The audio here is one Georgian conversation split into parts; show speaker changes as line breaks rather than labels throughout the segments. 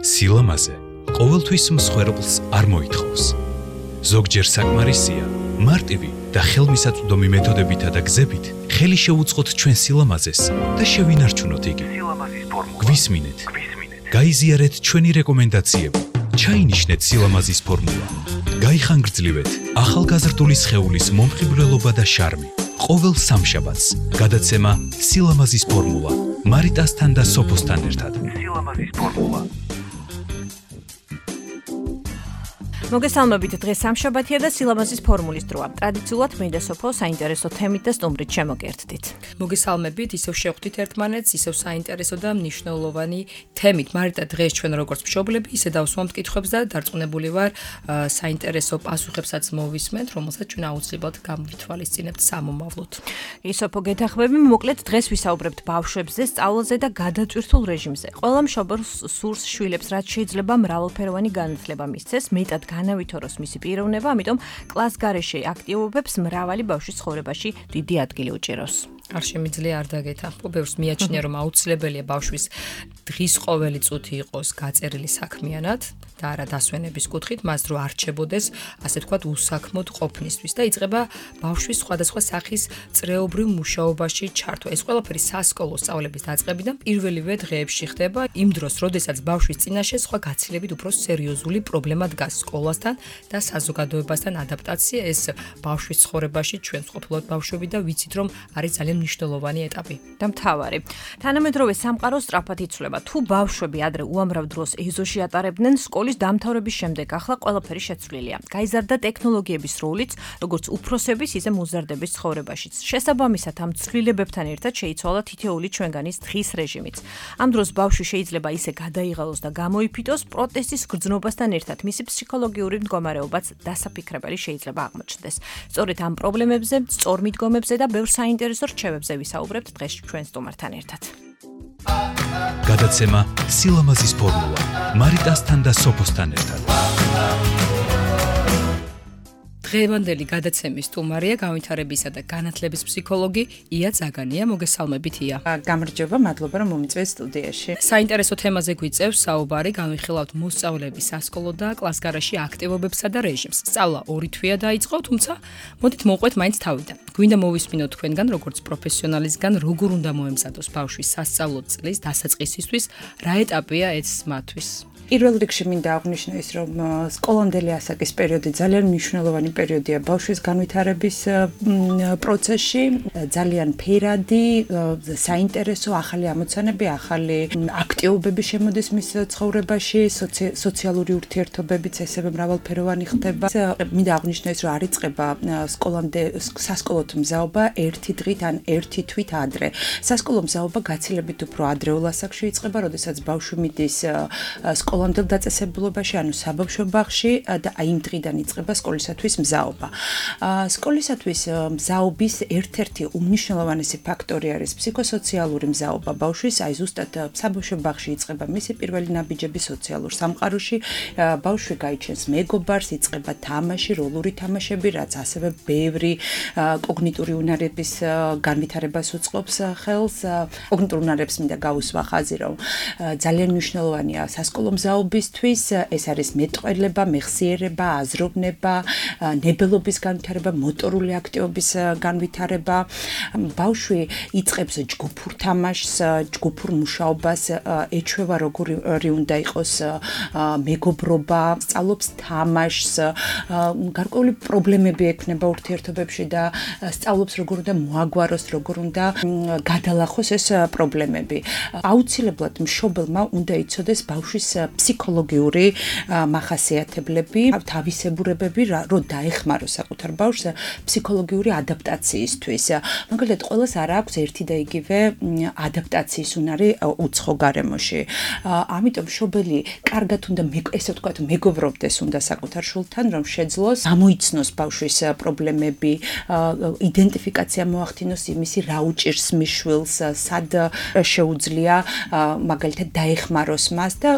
სილამაზე ყოველთვის მსხვერპლს არ მოითხოვს. ზოგჯერ საკმარისია მარტივი და ხელმისაწვდომი მეთოდებითა და გზებით ხელი შეუწყოთ ჩვენ სილამაზეს და შევინარჩუნოთ იგი. გვისმინეთ. გაიზიარეთ ჩვენი რეკომენდაციები. ჩაინიშნეთ სილამაზის ფორმულა. გაიხანგრძლივეთ ახალგაზრდული სხეულის მომხიბვლელობა და შარმი. ყოველ სამშაბათს გადაცემა სილამაზის ფორმულა. მარიტასთან და სოფოსთან ერთად. სილამაზის ფორმულა.
მოგესალმებით, დღეს სამშაბათია და სილამაზის ფორმულის დროა. ტრადიციულად მე და სოფო საინტერესო თემით და სტუმრით შემოგერთდით.
მოგესალმებით, ისევ შევხვდით ერთმანეთს, ისევ საინტერესო და მნიშვნელოვანი თემით. მარიტა, დღეს ჩვენ როგორც მშობლები, ისე დავსვამთ კითხვებს და დარწმუნებული ვარ, საინტერესო პასუხებსაც მოვისმენთ, რომელსაც ჩვენ აუცილებლად გამვითვალისწინებთ სამომავლოდ.
სოფო, გეთახმები, მოკლედ დღეს ვისაუბრებთ ბავშვებზე, სწავლაზე და გადაწვირთულ რეჟიმზე. ყველა მშობელს სურს შვილებს, რაც შეიძლება მრავალფეროვანი განათლება მისცეს, მეტად განავითაროს მისი პიროვნება, ამიტომ კლასგარეშე აქტივობებს მრავალი ბავშვის ცხოვრებაში დიდი ადგილი უჭირავს.
არ შემიძლია არ დაგეთანხმო, ბევრს მიაჩნია, რომ აუცილებელია ბავშვის დღის ყოველი წუთი იყოს გაწერილი საქმიანად და არა დასვენების კუთხით, მას დრო არჩებოდეს, ასე ვთქვათ, უსაქმოდ ყოფნისთვის და იწყება ბავშვის სხვადასხვა სახის წრეობრივ მუშაობაში ჩართვა. ეს ყველაფერი სასკოლო სწავლების დაწყებიდან პირველივე დღეებში ხდება, იმ დროს, როდესაც ბავშვის წინაშე სხვა გაცილებით უფრო სერიოზული პრობლემა დგას სკოლასთან და საზოგადოებასთან ადაპტაცია. ეს ბავშვის ცხოვრებაში ჩვენ ვყოფილობთ ბავშვები და ვიცით, რომ არის ძალიან მნიშვნელოვანი ეტაპი.
და მთავარი. თანამედროვე სამყარო სწრაფად იცვლება. თუ ბავშვები ადრე უამრავ დროს ეზოში ატარებდნენ, სკოლის დამთავრების შემდეგ ახლა ყველაფერი შეცვლილია. გაიზარდა ტექნოლოგიების როლიც, როგორც უფროსების, ისე მოზარდების ცხოვრებაშიც. შესაბამისად, ამ ცვლილებებთან ერთად შეიცვალა თითოეული ჩვენგანის დღის რეჟიმიც. ამ დროს ბავშვი შეიძლება ისე გადაიღალოს და გამოიფიტოს, პროტესტის გრძნობასთან ერთად მისი ფსიქოლოგიური მდგომარეობაც დასაფიქრებელი შეიძლება აღმოჩნდეს. სწორედ ამ პრობლემებზე, სწორ მიდგომებზე და ბევრ საინტერესო რჩევებზე ვისაუბრებთ დღეს ჩვენ სტუმართან ერთად.
გადაცემა სილამაზის ფორმულა. მარიტასთან და სოფოსთან ერთად.
დღევანდელი გადაცემის სტუმარია განვითარებისა და განათლების ფსიქოლოგი ია ზაგანია. მოგესალმებით, ია.
გამარჯობა, მადლობა რომ მომიწვევთ სტუდიაში.
საინტერესო თემაზე გვიწევს საუბარი, განვიხილავთ მოსწავლეების სასკოლო და კლასგარეში აქტივობებსა და რეჟიმს. სწავლა ორი თვეა დაიწყო, თუმცა მოდით მოვყვეთ მაინც თავიდან. გვინდა მოვისმინოთ თქვენგან, როგორც პროფესიონალისგან, როგორ უნდა მოემზადოს ბავშვის სასწავლო წლის დასაწყისისთვის, რა ეტაპია ეს მათთვის.
პირველ რიგში მინდა აღვნიშნო ის, რომ სკოლამდელი ასაკის პერიოდი ძალიან მნიშვნელოვანი პერიოდია ბავშვის განვითარების პროცესში, ძალიან ფერადი, საინტერესო, ახალი ამოცანები, ახალი აქტივობები შემოდის მის ცხოვრებაში, სოციალური ურთიერთობებიც ესევე მრავალფეროვანი ხდება. მინდა აღვნიშნო ის, რომ არ იწყება სასკოლო მზაობა ერთი დღით ან ერთი თვით ადრე. სასკოლო მზაობა გაცილებით უფრო ადრეულ ასაკში იწყება, როდესაც ბავშვი მიდის სკოლამდელ დაწესებულობაში, ანუ საბავშვო ბაღში და აი იმ დღიდან იწყება სკოლისათვის მზაობა. სკოლისათვის მზაობის ერთ-ერთი უმნიშვნელოვანესი ფაქტორი არის ფსიქოსოციალური მზაობა ბავშვის, აი ზუსტად საბავშვო ბაღში იწყება მისი პირველი ნაბიჯები სოციალურ სამყაროში, ბავშვი გაიჩენს მეგობარს, იწყება თამაში, როლური თამაშები, რაც ასევე ბევრი კოგნიტური უნარების განვითარებას უწყობს ხელს. კოგნიტურ უნარებს მინდა გავუსვა ხაზი, რომ ძალიან მნიშვნელოვანია სასკოლო მზაობისთვის, ეს არის მეტყველება, მეხსიერება, აზროვნება, ნებელობის განვითარება, მოტორული აქტივობის განვითარება. ბავშვი იწყებს ჯგუფურ თამაშს, ჯგუფურ მუშაობას, ეჩვევა როგორი უნდა იყოს მეგობრობა, სწავლობს თამაშს, გარკვეული პრობლემები ექნება ურთიერთობებში და სწავლობს როგორ უნდა მოაგვაროს, როგორ უნდა გადალახოს ეს პრობლემები. აუცილებლად მშობელმა უნდა იცოდეს ბავშვის ფსიქოლოგიური მახასიათებლები, თავისებურებები, რომ დაეხმაროს საკუთარ ბავშვს ფსიქოლოგიური ადაპტაციისთვის. მაგალითად, ყველას არ აქვს ერთი და იგივე ადაპტაციის უნარი უცხო გარემოში. ამიტომ მშობელი კარგად უნდა ესე ვთქვათ, მეგობრობდეს უნდა საკუთარ შვილთან, რომ შეძლოს გამოიცნოს ბავშვის პრობლემები, იდენტიფიკაცია მოახდინოს იმისი, რა უჭირს მის შვილს, სად შეუძლია მაგალითად დაეხმაროს მას და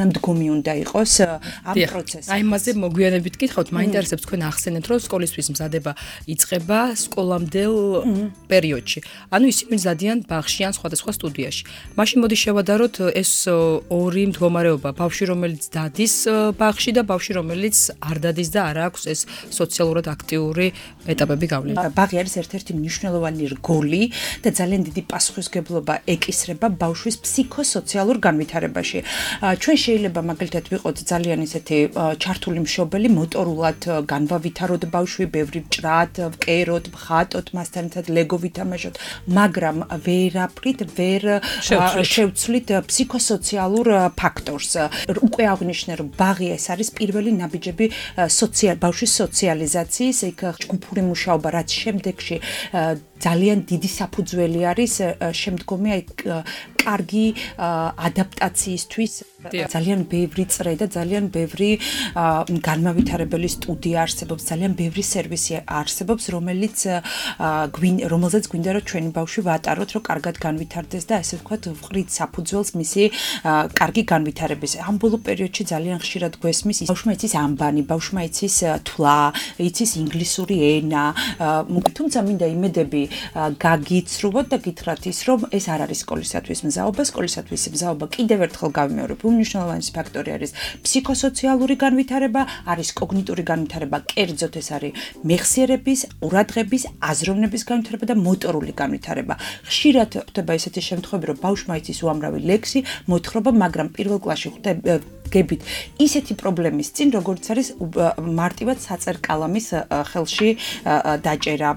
თანამდგომი უნდა იყოს ამ პროცესში.
აი მასზე მოგვიანებით გითხავთ, მაინტერესებს თქვენ ახსენეთ, რომ სკოლისთვის მზადება იწყება სკოლამდელ პერიოდში. ანუ ისინი მზადიან ბაღში ან სხვადასხვა სტუდიაში. მაშინ მოდი შევადაროთ ეს ორი მდგომარეობა, ბავშვი რომელიც დადის ბაღში და ბავშვი რომელიც არ დადის და არ აქვს ეს სოციალურად აქტიური ეტაპები გავლილი.
ბაღი არის ერთ-ერთი მნიშვნელოვანი რგოლი და ძალიან დიდი პასუხისმგებლობა ეკისრება ბავშვის ფსიქოსოციალურ განვითარებაში. ჩვენ შეიძლება მაგალითად ვიყოთ ძალიან ისეთი ჩართული მშობელი, მოტორულად განვავითაროთ ბავშვი, ბევრი ვჭრათ, ვკეროთ, ვხატოთ, მასთან ერთად ლეგო ვითამაშოთ, მაგრამ ვერაფრით ვერ შევცვლით ფსიქოსოციალურ ფაქტორს. უკვე აღნიშნე, რომ ბაღი ეს არის პირველი ნაბიჯები ბავშვის სოციალიზაციის, იქ ჯგუფური მუშაობა, რაც შემდეგში ძალიან დიდი საფუძველი არის შემდგომი კარგი ადაპტაციისთვის. ძალიან ბევრი წრე და ძალიან ბევრი განმავითარებელი სტუდია არსებობს, ძალიან ბევრი სერვისი არსებობს, რომელზეც გვინდა რომ ჩვენი ბავშვი ვატაროთ, რომ კარგად განვითარდეს და ესე ვთქვათ, ვყრით საფუძველს მისი კარგი განვითარების. ამ ბოლო პერიოდში ძალიან ხშირად გვესმის ბავშვმა იცის ამბანი, ბავშვმა იცის თვლა, იცის ინგლისური ენა, თუმცა მინდა იმედები გაგიცრუოთ და გითხრათ ის, რომ ეს არ არის სკოლისათვის მზაობა, სკოლისათვის მზაობა კიდევ ერთხელ გავიმეორებ, უმნიშვნელოვანესი ფაქტორი არის ფსიქოსოციალური განვითარება, არის კოგნიტური განვითარება, კერძოდ ეს არის მეხსიერების, ყურადღების, აზროვნების განვითარება და მოტორული განვითარება. ხშირად ხდება ესეთი შემთხვევები, რომ ბავშვმა იცის უამრავი ლექსი, მოთხრობა, მაგრამ პირველ კლასში გებით ისეთი პრობლემის წინ, როგორც არის მარტივად საწერკალამის ხელში დაჭერა,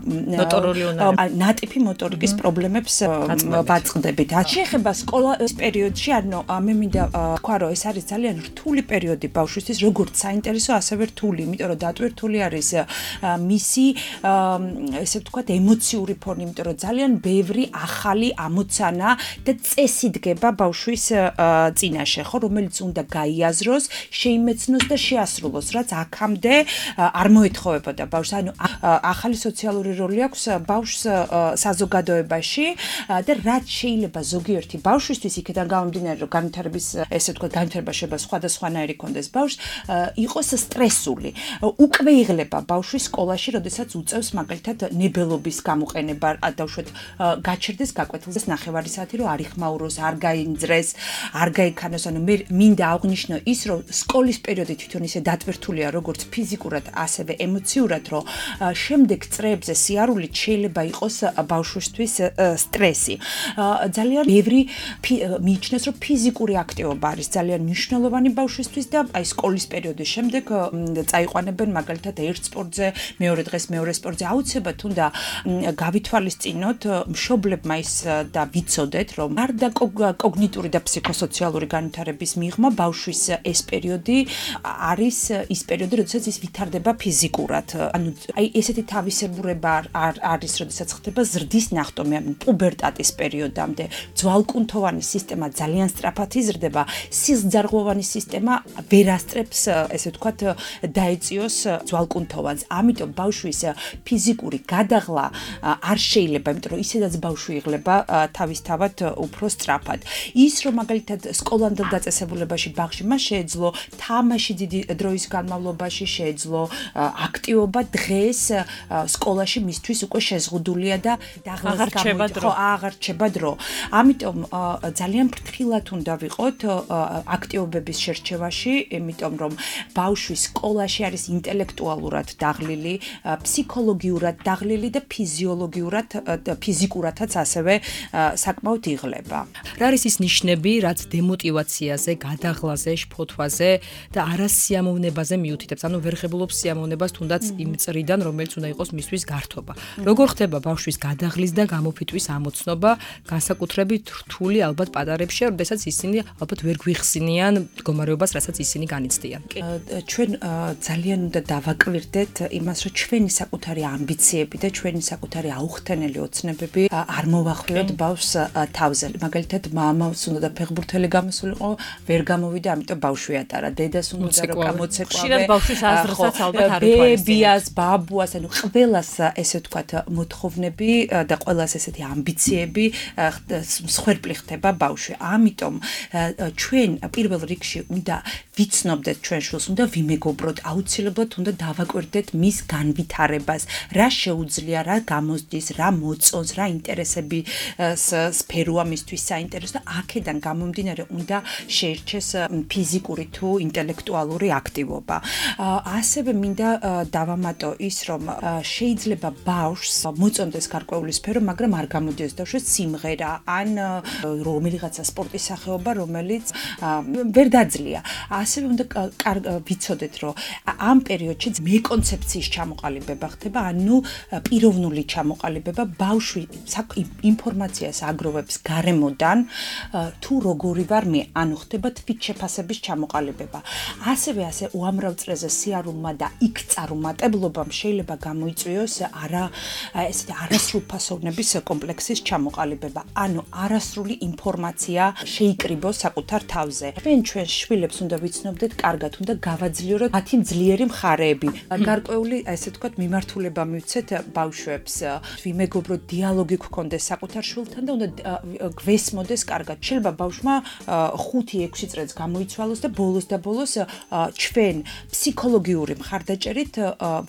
ნატიფი მოტორიკის პრობლემებს ვაწყდებით. შეხება სკოლის პერიოდში, ანუ მე მინდა თქვა, რომ ეს არის ძალიან რთული პერიოდი ბავშვისთვის, როგორც საინტერესო, ასევე რთული, იმიტომ რომ დატვირთული რთული არის მისი ესე ვთქვათ ემოციური ფონი, იმიტომ რომ ძალიან ბევრი ახალი ამოცანა და წესი დგება ბავშვის წინაშე, ხო, რომელიც უნდა გაიაზროს, შეიმეცნოს და შეასრულოს, რაც აქამდე არ მოეთხოვებოდა ბავშვს. ანუ ახალი სოციალური როლი აქვს ბავშვს საზოგადოებაში და რაც შეიძლება ზოგიერთი ბავშვისთვის იქიდან გამომდინარე, რომ განვითარების ესე ვთქვათ, განვითარება შეიძლება სხვადასხვანაირი კონდეს ბავშვს, იყოს სტრესული. უკვე იღლება ბავშვი სკოლაში, როდესაც უწევს მაგალითად ნებელობის გამოყენება, დაუშვათ გაჩერდეს, გაკვეთილდეს ნახევარი საათი, რომ არ იხმაუროს, არ გაინძრეს, არ გაიქანოს. ანუ მე მინდა აღნიშნო ის, რომ სკოლის პერიოდი თვითონ ისე დატვირთულია, როგორც ფიზიკურად, ასევე ემოციურად, რომ შემდეგ წრეებზე სიარულით შეიძლება იყოს ბავშვისთვის სტრესი. ძალიან ბევრი მიიჩნევს, რომ ფიზიკური აქტივობა არის ძალიან მნიშვნელოვანი ბავშვისთვის და აი სკოლის პერიოდის შემდეგ წაიყვანებენ მაგალითად ერთ სპორტზე, მეორე დღეს მეორე სპორტზე. აუცილებლად უნდა გავითვალისწინოთ მშობლებმა ის და ვიცოდეთ, რომ გარდა კოგნიტური და ფსიქოსოციალური განვითარების მიღმა ბავშვის ეს პერიოდი არის ის პერიოდი, როდესაც ის ვითარდება ფიზიკურად. ანუ აი ესეთი თავისებურება არის, როდესაც ხდება ზრდის ნახტომი, ანუ პუბერტატის პერიოდამდე ძვალკუნთოვანი სისტემა ძალიან სწრაფად იზრდება, სისხლძარღვოვანი სისტემა ვერ ასწრებს, ესე ვთქვათ, დაეწიოს ძვალკუნთოვანს. ამიტომ ბავშვის ფიზიკური გადაღლა არ შეიძლება, იმიტომ რომ ისედაც ბავშვი იღლება თავისთავად უფრო სწრაფად. ის რომ მაგალითად სკოლამდელ დაწესებულებაში ბაღში მას შეეძლო თამაში დიდი დროის განმავლობაში შეეძლო აქტივობა, დღეს სკოლაში მისთვის უკვე შეზღუდულია და აღარ რჩება დრო. ამიტომ ძალიან ფრთხილად უნდა ვიყოთ აქტივობების შერჩევაში, იმიტომ რომ ბავშვი სკოლაში არის ინტელექტუალურად დაღლილი, ფსიქოლოგიურად დაღლილი და ფიზიკურადაც ასევე საკმაოდ იღლება.
რა არის ის ნიშნები, რაც დემოტივაციაზე, გადაღლაზე, შფოთვაზე და არასიამოვნებაზე მიუთითებს? ანუ ვერ ღებულობს სიამოვნებას თუნდაც იმ წრიდან, რომელიც უნდა იყოს მისთვის გართობა. როგორ ხდება ბავშვის გადაღლის და გამოფიტვის ამოცნობა, განსაკუთრებით რთული ალბათ პატარებში, როდესაც ისინი ალბათ ვერ გვიხსნიან მდგომარეობას, რასაც ისინი განიცდიან.
ჩვენ ძალიან უნდა დავაკვირდეთ იმას, რომ ჩვენი საკუთარი ამბიციები და ჩვენი საკუთარი აუხტენელი ოცნებები არ მოვახვიოთ ბავშვს თავზე. მაგალითად, მამას უნდა და ფეხბურთელი გამოსულიყო, ვერ გამოვიდა, ამიტომ ამიტომ ბავშვი ატარა დედას უნდა რომ გამოცეკვავე.
ხშირად ბავშვის აზრსაც ალბათ არ ითვალისწინებს.
ბებიას, ბაბუას, ანუ ყველას ესე ვთქვათ მოთხოვნები და ყველას ესეთი ამბიციები მსხვერპლი ხდება ბავშვი. ამიტომ ჩვენ პირველ რიგში უნდა ვიცნობდეთ ჩვენ შვილს, უნდა ვიმეგობროთ, აუცილებლად უნდა დავაკვირდეთ მის განვითარებას, რა შეუძლია, რა გამოსდის, რა მოწონს, რა ინტერესები სფეროა მისთვის საინტერესო და აქედან გამომდინარე უნდა შეირჩეს ფიზიკური თუ ინტელექტუალური აქტივობა. ასევე მინდა დავამატო ის, რომ შეიძლება ბავშვს მოწონდეს გარკვეული სფერო, მაგრამ არ გამოდიოს ბავშვს სიმღერა ან რომელიღაცა სპორტის სახეობა, რომელიც ვერ დაძლია. ასევე უნდა ვიცოდეთ, რომ ამ პერიოდში მეკონცეფციის ჩამოყალიბება ხდება, ანუ პიროვნული ჩამოყალიბება, ბავშვი ინფორმაციას აგროვებს გარემოდან, თუ როგორი ვარ მე, ანუ ხდება თვითშეფასების ჩამოყალიბება. ასევე უამრავ წრეზე სიარულმა და იქწარუმატებლობამ შეიძლება გამოიწვიოს ესეთი არასრულფასოვნების კომპლექსის ჩამოყალიბება, ანუ არასრული ინფორმაცია შეიკრიბოს საკუთარ თავზე. ჩვენ შვილებს უნდა ვიცნობდეთ, კარგად უნდა გავაძლიეროთ მათი ძლიერი მხარეები. გარკვეული, ესე ვთქვათ, მიმართულება მივცეთ ბავშვებს, ვიმეგობროთ, დიალოგი გქონდეს საკუთარ შვილთან და უნდა გვესმოდეს კარგად. შეიძლება ბავშვმა 5-6 წრეც გამოიცვალოს და ბოლოს ჩვენ ფსიქოლოგიური მხარდაჭერით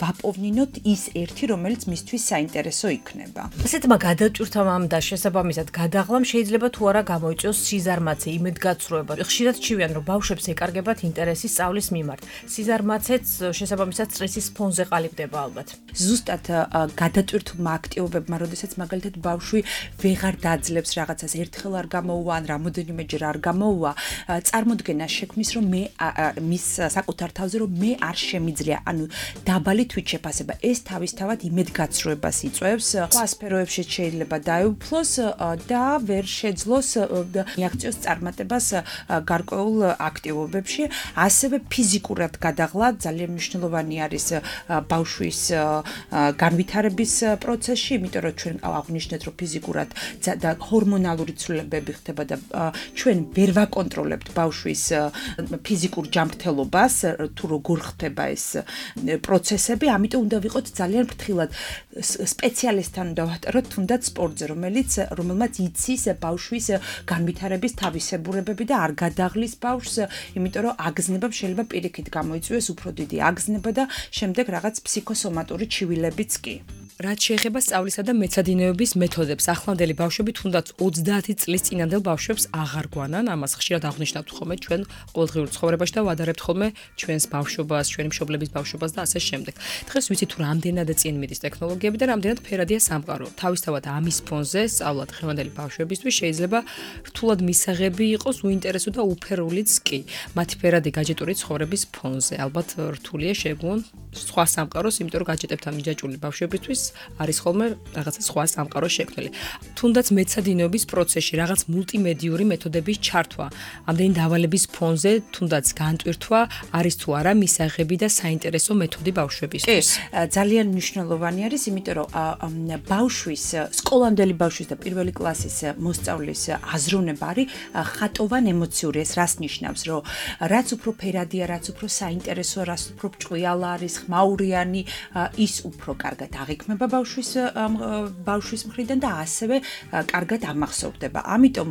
ვაპოვნინოთ ის ერთი, რომელიც მისთვის საინტერესო იქნება.
ასეთმა გადაჭრთამ და შესაბამისად გადაღლამ შეიძლება თუ არა გამოიწვიოს სიზარმაცე, იმედგაცრუება. ხშირად ჩივიან, რომ ბავშვებს ეკარგებათ ინტერესი სწავლის მიმართ. სიზარმაცეც შესაბამისად სტრესის ფონზე ყალიბდება ალბათ.
ზუსტად გადაჭრთულმა აქტივობებმა, როდესაც მაგალითად ბავშვი ვეღარ დაძლებს რაღაცას, ერთხელ არ გამოუვა ან რამოდენიმეჯერ არ გამოუვა, წარმოდგენა შექმნის, რომ მე მის საკუთარ თავზე რომ მე არ შემიძლია, ანუ დაბალი თვითშეფასება. ეს თავისთავად იმედგაცრუებას იწვევს, სხვა სფეროებში შეიძლება დაეუფლოს და ვერ შეძლოს მიაღწიოს წარმატებას გარკვეულ აქტივობებში. ასევე ფიზიკურად გადაღლა ძალიან მნიშვნელოვანი არის ბავშვის განვითარების პროცესში, იმიტომ რომ ჩვენ აღვნიშნეთ, რომ ფიზიკურად და ჰორმონალური ცვლილებები ხდება და ჩვენ ვერ ვაკონტროლებთ ბავშვის ფიზიკურ ჯანმრთელობას, თუ როგორ ხდება ეს პროცესები, ამიტომ უნდა ვიყოთ ძალიან ფრთხილად. სპეციალისტთან უნდა ვატაროთ თუნდაც სპორტზე, რომელმაც იცის ბავშვის განვითარების თავისებურებები და არ გადაღლის ბავშვს, იმიტომ რომ აგზნება შეიძლება პირიქით გამოიწვიოს უფრო დიდი აგზნება და შემდეგ რაღაც ფსიქოსომატური ჩივილებიც კი.
რაც შეეხება სწავლისა და მეცადინეობის მეთოდებს, ახლანდელი ბავშვები თუნდაც 30 წლის წინანდელ ბავშვებს აღარ გვანან, ამას ხშირად აღნიშნავთ ხოლმე ჩვენ ყოველდღიურ ცხოვრებაში და ვადარებთ ხოლმე ჩვენს ბავშვობას, ჩვენი მშობლების ბავშვობას და ასე შემდეგ. დღეს ვიცით თუ რამდენად წინ მიდის ტექნოლოგიები და რამდენად ფერადია სამყარო. თავისთავად ამის ფონზე სწავლა დღევანდელი ბავშვებისთვის შეიძლება რთულად მისაღები იყოს, უინტერესო და უფერულიც კი. მათი ფერადი გაჯეტური ცხოვრების ფონზე. ალბათ რთულია შეგვონ სხვა სამყაროს, იმიტომ რომ გაჯეტებთან მიჯაჭვული ბავშვებისთვის არის ხოლმე რაღაცა სხვა სამყარო შექმნილი. თუნდაც მეცადინეობის პროცესში რაღაც მულტიმედიური მეთოდების ჩართვა, ამდენი დავალების ფონზე თუნდაც განტვირთვა არის თუ არა მისაღები და საინტერესო მეთოდი ბავშვებისთვის.
ძალიან მნიშვნელოვანი არის, იმიტომ რომ ბავშვის, სკოლამდელი ბავშვის და პირველი კლასის მოსწავლის აზროვნება არის ხატოვან ემოციური. ეს რას ნიშნავს, რომ რაც უფრო ფერადია, რაც უფრო საინტერესო, რაც უფრო ჭკვიალა არის, ხმაურიანი, ის უფრო კარგად აღიქმება ბავშვის მხრიდან და ასევე კარგად ამახსოვრდება. ამიტომ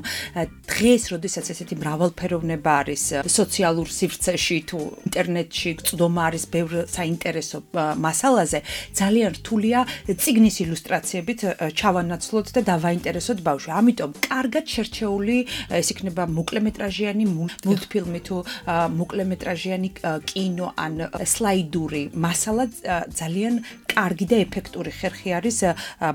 დღეს, როდესაც ესეთი მრავალფეროვნება არის სოციალურ სივრცეში თუ ინტერნეტში, წვდომა არის ბევრ საინტერესო მასალაზე, ძალიან რთულია წიგნის ილუსტრაციებით ჩავანაცვლოთ და დავაინტერესოთ ბავშვი. ამიტომ კარგად შერჩეული ეს იქნება მოკლემეტრაჟიანი მულტფილმი თუ მოკლემეტრაჟიანი კინო ან სლაიდური მასალა ძალიან კარგი და ეფექტური ხერხი არის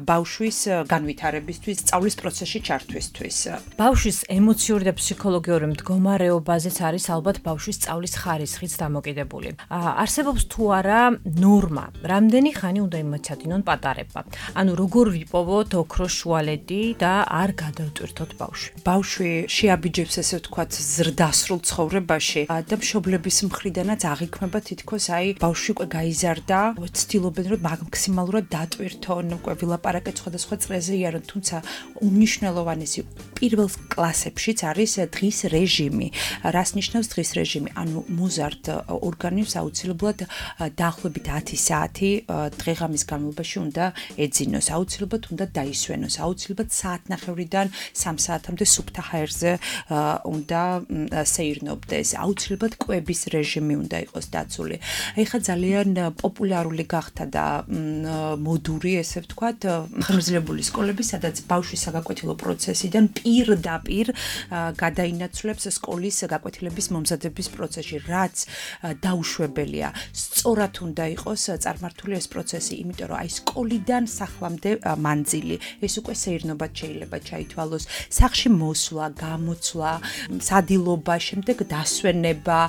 ბავშვის განვითარებისთვის, სწავლის პროცესში ჩართვისთვის.
ბავშვის ემოციური და ფსიქოლოგიური მდგომარეობაზეც არის ალბათ ბავშვის სწავლის ხარისხიც დამოკიდებული. არსებობს თუ არა ნორმა, რამდენი ხანი უნდა იმეცადინონ პატარებმა. ანუ როგორ ვიპოვოთ ოქროს შუალედი და არ გადავტვირთოთ ბავშვი.
ბავშვი შეაბიჯებს ესე ვთქვათ ზრდასრულ ცხოვრებაში და მშობლების მხრიდანაც აღიქმება თითქოს ბავშვი უკვე გაიზარდა, ცდილობენ რომ მაქსიმალურად დატვირთონ, ვილაპარაკეთ სხვადასხვა წრეზე იარონ, თუმცა უნიშნელოვანესი პირველ კლასებშიც არის დღის რეჟიმი. რას ნიშნავს დღის რეჟიმი? ანუ მოზარდ ორგანიზმს აუცილებლად დაახლოებით 10 საათი დღეღამის განმავლობაში უნდა ეძინოს, აუცილებლად უნდა დაისვენოს, აუცილებლად საათნახევრიდან 3 საათამდე სუფთა ჰაერზე უნდა სეირნობდეს, აუცილებლად კვების რეჟიმი უნდა იყოს დაცული. ეხლა ძალიან პოპულარული გახდა და მოდური, ესე ვთქვათ, ხანგრძლივებული სკოლები, სადაც ბავშვის საგაკვეთილო პროცესიდან პირდაპირ გადაინაცვლებს სკოლის გაკვეთილების მომზადების პროცესში, რაც დაუშვებელია. სწორად უნდა იყოს წარმართული ეს პროცესი, იმიტომ რომ აი სკოლიდან სახლამდე მანძილი, ეს უკვე სეირნობად შეიძლება ჩაითვალოს, სახლში მოსვლა, გამოცვლა, სადილობა, შემდეგ დასვენება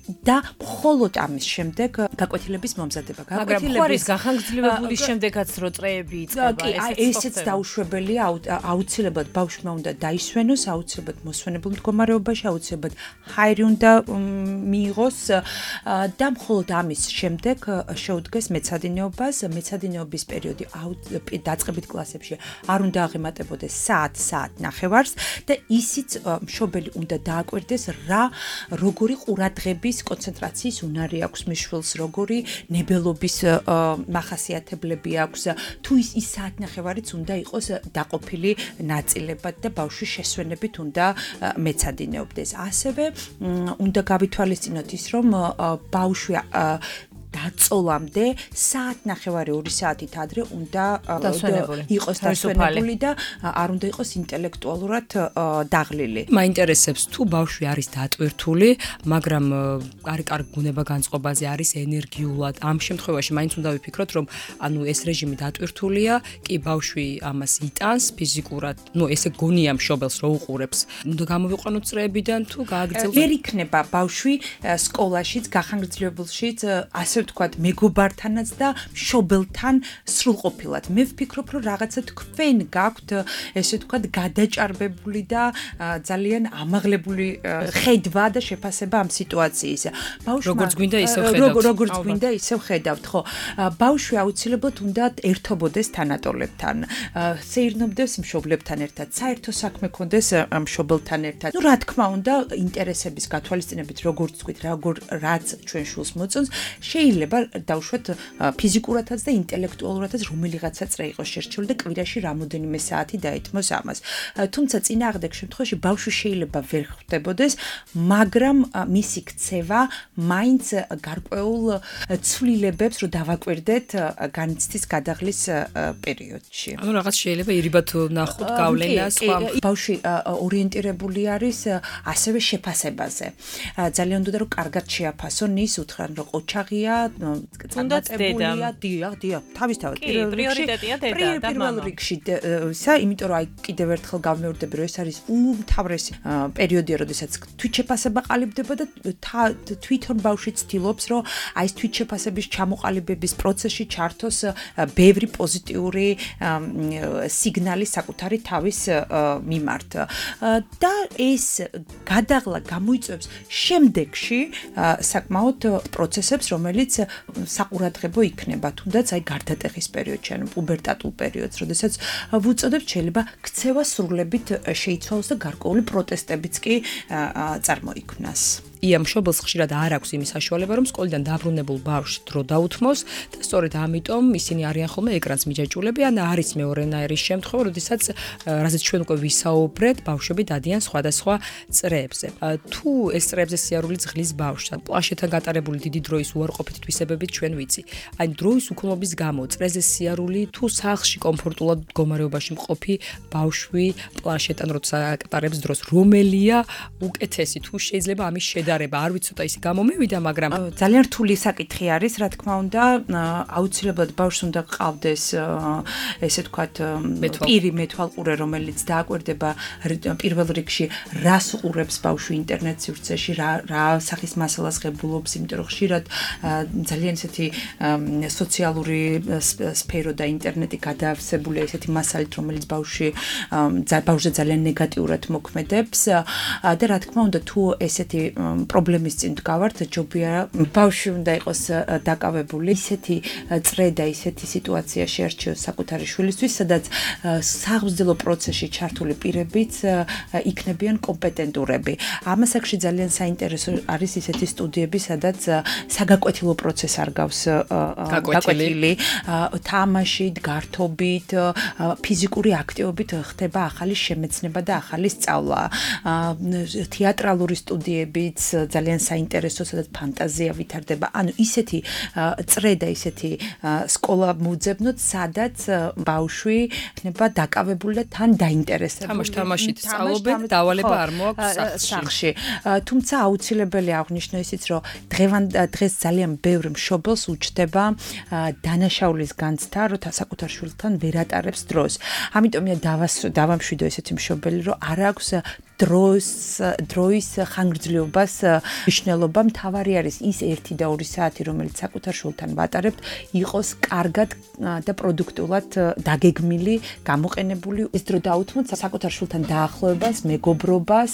და მხოლოდ ამის შემდეგ გაკვეთილების მომზადება.
მაგრამ ხوارის გახანგრძლივებული შემდეგაც რო წრეები იწყება,
ესეც დაუშვებელია, აუცილებლად ბავშვმა უნდა დაისვენოს, აუცილებლად მოსვენებულ მდგომარეობაში, აუცილებლად ჰაერი უნდა მიიღოს და მხოლოდ ამის შემდეგ შეუდგეს მეცადინეობას. მეცადინეობის პერიოდი დაწყებით კლასებში არ უნდა აღემატებოდეს საათ-ნახევარს და ისიც მშობელი უნდა დააკვირდეს როგორი ყურადღების კონცენტრაციის უნარი აქვს მის შვილს, როგორი ნებელობის მახასიათებლები აქვს, თუ ის საათნახევარიც უნდა იყოს დაყოფილი ნაწილებად და ბავშვის შესვენებით უნდა მეცადინეობდეს. ასევე უნდა გავითვალისწინოთ ის, რომ ბავშვი დაწოლამდე საათნახევარი 2 საათით ადრე უნდა იყოს დასვენებული და არ უნდა იყოს ინტელექტუალურად დაღლილი.
მაინტერესებს თუ ბავშვი არის დატვირთული, მაგრამ არის კარგი გუნება განწყობაზე, არის ენერგიულად. ამ შემთხვევაში მაინც უნდა ვიფიქროთ, რომ ანუ ეს რეჟიმი დატვირთულია, კი ბავშვი ამას იტანს ფიზიკურად, ესე გონია მშობელს რო უყურებს. უნდა გამოვიყვანოთ წრეებიდან თუ გააგრძელოთ.
ვერ იქნება ბავშვი სკოლაშიც, გახანგრძლივებულშიც, ასე ვთქვათ, მეგობართანაც და მშობელთან სრულყოფილად. მე ვფიქრობ, რომ რაღაცა თქვენ გაქვთ, ესე ვთქვათ, გადაჭარბებული და ძალიან ამაღლებული ხედვა და შეფასება ამ სიტუაციის.
როგორც გვინდა ისევ ხედავთ.
როგორც გვინდა ისევ ხედავთ, ხო. ბავშვი აუცილებლად უნდა ერთობოდეს თანატოლებთან, სეირნობდეს მშობლებთან ერთად, საერთო საქმე ქონდეს მშობელთან ერთად. რა თქმა უნდა, ინტერესების გათვალისწინებით, როგორც თქვით, რაც ჩვენ შულს მოწონს, შეიძლება დავუშვათ ფიზიკურადაც და ინტელექტუალურადაც რომელიღაცა წრე იყოს შერჩეული და კვირაში რამოდენიმე საათი დაეთმოს ამას. თუმცა წინააღმდეგ შემთხვევაში ბავშვი შეიძლება ვერ ხვდებოდეს, მაგრამ მისი ქცევა მაინც გარკვეულ ცვლილებებს რო დავაკვირდეთ განიცდის გადაღლის პერიოდში.
ანუ რაღაც შეიძლება ირიბად ნახოთ გავლენა სხვა.
ბავშვი ორიენტირებული არის ასევე შეფასებაზე. ძალიან უნდა რომ კარგად შეაფასონ ის უთხრან რომ ოჩაღია,
წარმატებულია,
დიახ, თავისთავად
პრიორიტეტია დედა და მამა.
პირველ რიგში იმიტომ რომ აი კიდევ ერთხელ გავმეორდები რომ ეს არის უმთავრესი პერიოდია, როდესაც თვითშეფასება ყალიბდება და თვითონ ბავშვი ცდილობს რომ აი ეს თვითშეფასების ჩამოყალიბების პროცესში ჩართოს ბევრი პოზიტიური სიგნალი საკუთარი თავის მიმართ და ეს გადაღლა გამოიწვევს შემდეგში საკმაოდ პროცესებს, რომელიც საყურადღებო იქნება, თუნდაც აი გარდატეხის პერიოდში, ანუ პუბერტატულ პერიოდს, როდესაც ვუწოდებთ, შეიძლება ქცევა სრულებით შეიცვალოს და გარკვეული პროტესტებიც კი წარმოიქმნას.
ია მშობელს ხშირად არ აქვს იმის საშუალება, რომ სკოლიდან დაბრუნებულ ბავშვს დრო დაუთმოს და სწორედ ამიტომ ისინი არიან ხოლმე ეკრანს მიჯაჭულები, ან არის მეორენაირი შემთხვევა, როდესაც რაზეც ჩვენ უკვე ვისაუბრეთ, ბავშვები დადიან სხვადასხვა წრეებზე. თუ ეს წრეებზე სიარული ძღლის ბავშვს, ან პლანშეტთან გატარებული დიდი დროის უარყოფითი თვისებებით ჩვენ ვიცი. აი დროის უქონლობის გამო წრეზე სიარული თუ სახლში კომფორტულად მდგომარეობაში მყოფი ბავშვი პლანშეტთან როცა აკატარებს დროს, რომელია უკეთესი, თუ შეიძლება ამის შედარება, არ ვიცი ცოტა ისე გამომივიდა, მაგრამ
ძალიან რთული საკითხი არის, რა თქმა უნდა, აუცილებლად ბავშვს უნდა ყავდეს ესე ვთქვათ პირი მეთვალყურე, რომელიც დააკვირდება პირველ რიგში რას უყურებს ბავშვი ინტერნეტ სივრცეში, რა სახის მასალას ღებულობს, იმიტომ რომ ხშირად ძალიან ესეთი სოციალური სფერო და ინტერნეტი გადაავსებულია ესეთი მასალით, რომელიც ბავშვზე ძალიან ნეგატიურად მოქმედებს და რა თქმა უნდა, თუ ესეთი პრობლემის წინ დგავართ, ჯობია ბავშვი უნდა იყოს დაკავებული, ისეთი წრე და ისეთი სიტუაცია შეარჩიოს საკუთარი შვილისთვის, სადაც საღვიძლო პროცესში ჩართული პირებიც იქნებიან კომპეტენტურები. ამასაკში ძალიან საინტერესო არის ისეთი სტუდიები, სადაც საგაკვეთილო პროცესი არ გავს გაკვეთილი, თამაშით, გართობით, ფიზიკური აქტივობით ხდება ახალი შემეცნება და ახალი სწავლა. თეატრალური სტუდიებიც ძალიან საინტერესო, სადაც ფანტაზია ვითარდება. ანუ ისეთი წრე და ისეთი სკოლა მუძებნოთ, სადაც ბავშვი იქნება დაკავებული და თან დაინტერესებული.
თამაშით სწავლობენ, დავალება არ მოაქვს
სახში. თუმცა აუცილებელი აღვნიშნო ისიც, რომ დღეს ძალიან ბევრ მშობელს უჩდება დანაშაულის განცდა, რომ საკუთარ შვილთან ვერ ატარებს დროს. ამიტომია დავამშვიდო ესეთი მშობელი, რომ არ აქვს დროის ხანგრძლივობას მნიშვნელობა. მთავარი არის ის 1 და 2 საათი, რომელიც საკუთარ შვილთან ვატარებთ, იყოს კარგად და პროდუქტულად დაგეგმილი, გამოყენებული. ეს დრო დაუთმოთ საკუთარ შვილთან დაახლოებას, მეგობრობას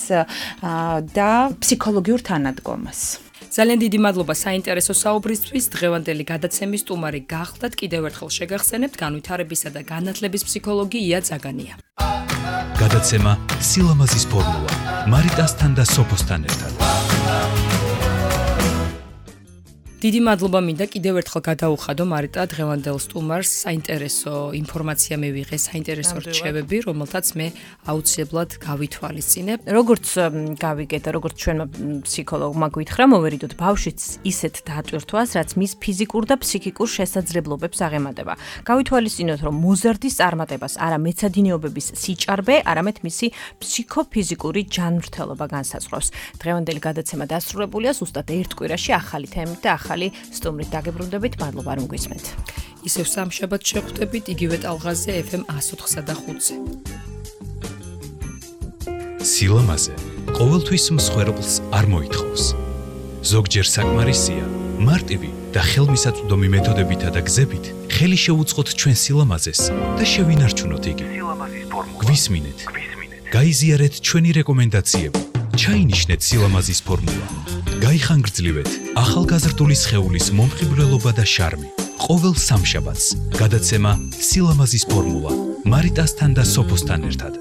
და ფსიქოლოგიურ თანადგომას.
ძალიან დიდი მადლობა საინტერესო საუბრისთვის. დღევანდელი გადაცემის სტუმარი გახლდათ. კიდევ ერთხელ შეგახსენებთ განვითარებისა და განათლების ფსიქოლოგი ია ძაგანია.
გადაცემა სილამაზის ფორმულა მარიტასთან და სოფოსთან ერთად.
დიდი მადლობა მინდა კიდევ ერთხელ გადაუხადო მარიტა დღევანდელ სტუმარს. საინტერესო ინფორმაცია მივიღე, საინტერესო რჩევები, რომელთაც მე აუცილებლად გავითვალისწინებ.
როგორც გავიგე და როგორც ჩვენმა ფსიქოლოგმა გითხრა, მოვერიდოთ ბავშვიც ისეთ დატვირთვას, რაც მის ფიზიკურ და ფსიქიკურ შესაძლებლობებს აღემატება. გავითვალისწინოთ, რომ მოზარდის წარმატებას არა მეცადინეობების სიჭარბე, არამედ მისი ფსიქოფიზიკური ჯანმრთელობა განსაზღვრავს. დღევანდელი გადაცემა დასრულებულია, ზუსტად ერთ კვირაში ახალი თემით და ახალი სტუმრით დაგებრუნდებით. მადლობა რომ გვისმენთ.
ისევ სამშაბათს შეხვდებით იგივე ტალღაზე FM 104.5-ზე.
სილამაზე ყოველთვის მსხვერპლს არ მოითხოვს. ზოგჯერ საკმარისია მარტივი და ხელმისაწვდომი მეთოდებითა და გზებით ხელი შეუწყოთ ჩვენ სილამაზეს და შევინარჩუნოთ იგი. გვისმინეთ. გაიზიარეთ ჩვენი რეკომენდაციები. ჩაინიშნეთ სილამაზის ფორმულა. გაიხანგრძლივეთ ახალგაზრდული სხეულის მომხიბვლელობა და შარმი. ყოველ სამშაბათს გადაცემა სილამაზის ფორმულა მარიტასთან და სოფოსთან ერთად.